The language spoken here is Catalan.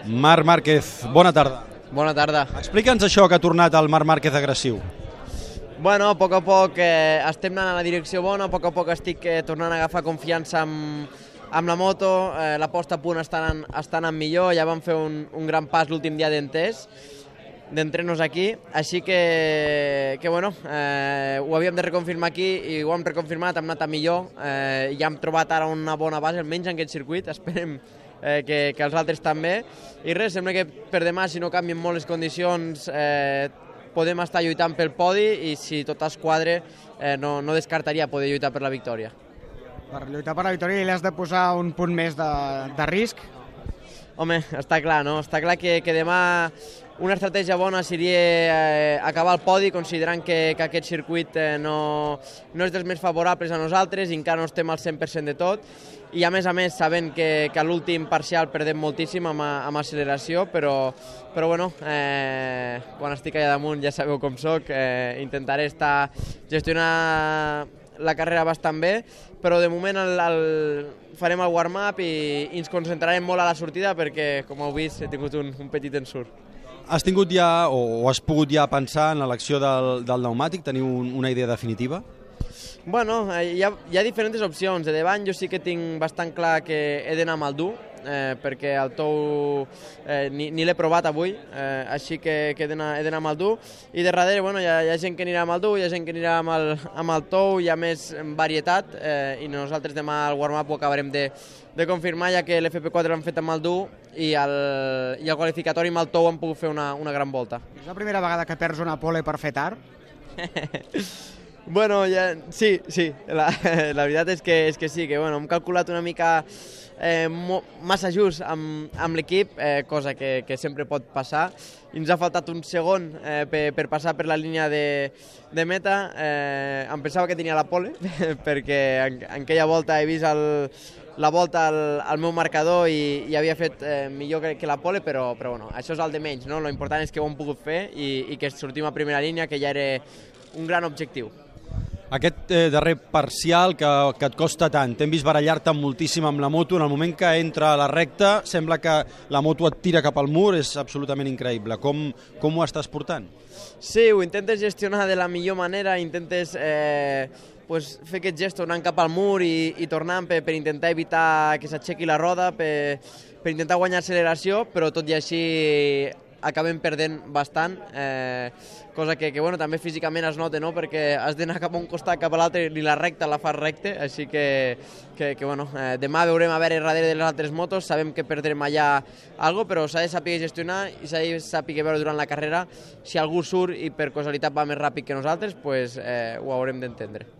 Marc Márquez, bona tarda. Bona tarda. Explica'ns això que ha tornat el Marc Márquez agressiu. Bueno, a poc estem anant a la direcció bona, a poc estic tornant a agafar confiança amb la moto, la posta a punt està anant millor, ja vam fer un gran pas l'últim dia d'entrenos aquí, així que bueno, ho havíem de reconfirmar aquí i ho hem reconfirmat, hem anat a millor, ja hem trobat ara una bona base, almenys en aquest circuit, esperem que els altres també, i res, sembla que per demà, si no canvien molt les condicions, podem estar lluitant pel podi i si tot es quadre no descartaria poder lluitar per la victòria. Per lluitar per la victòria li has de posar un punt més de risc? Home, està clar, no? Està clar que demà una estratègia bona seria acabar el podi, considerant que aquest circuit no és dels més favorables a nosaltres i encara no estem al 100% de tot. I a més, sabent que a l'últim parcial perdem moltíssim amb acceleració, però bueno, quan estic allà damunt ja sabeu com soc, intentaré gestionar la carrera bastant bé, però de moment farem el warm-up i ens concentrarem molt a la sortida perquè, com heu vist, he tingut un petit ensurt. Has tingut ja, o has pogut ja pensar en l'elecció del pneumàtic? Teniu una idea definitiva? Bueno, hi ha diferents opcions. De davant jo sí que tinc bastant clar que he d'anar amb el dur, perquè el tou ni l'he provat avui, així que he d'anar amb el dur. I de darrere hi ha gent que anirà amb el dur, hi ha gent que anirà amb el tou, hi ha més varietat, i nosaltres demà al warm-up ho acabarem de confirmar, ja que l'FP4 l'hem fet amb el dur i el qualificatori amb el tou hem pogut fer una gran volta. És la primera vegada que perds una pole per fer tard? Bueno, sí, la veritat és que sí, que bueno, hem calculat una mica massa just amb l'equip, cosa que sempre pot passar. Ens ha faltat un segon per passar per la línia de meta. Em pensava que tenia la pole, perquè en aquella volta he vist la volta al meu marcador i havia fet millor que la pole, però bueno, això és el de menys, no? Lo important és que ho hem pogut fer i que sortim a primera línia, que ja era un gran objectiu. Aquest darrer parcial que et costa tant, t'hem vist barallar-te moltíssim amb la moto, en el moment que entra a la recta sembla que la moto et tira cap al mur, és absolutament increïble. Com ho estàs portant? Sí, ho intentes gestionar de la millor manera, intentes fer aquest gest anant cap al mur i tornant per intentar evitar que s'aixequi la roda, per intentar guanyar acceleració, però tot i així acabem perdent bastant, cosa que bueno, també físicament es nota, no? Perquè has d'anar cap a un costat, cap a l'altre, ni la recta la fas recte, així que bueno, demà veurem a veure darrere de les altres motos, sabem que perdrem allà alguna cosa, però s'ha de saber gestionar i s'ha de saber veure durant la carrera si algú surt i per causalitat va més ràpid que nosaltres, pues, ho haurem d'entendre.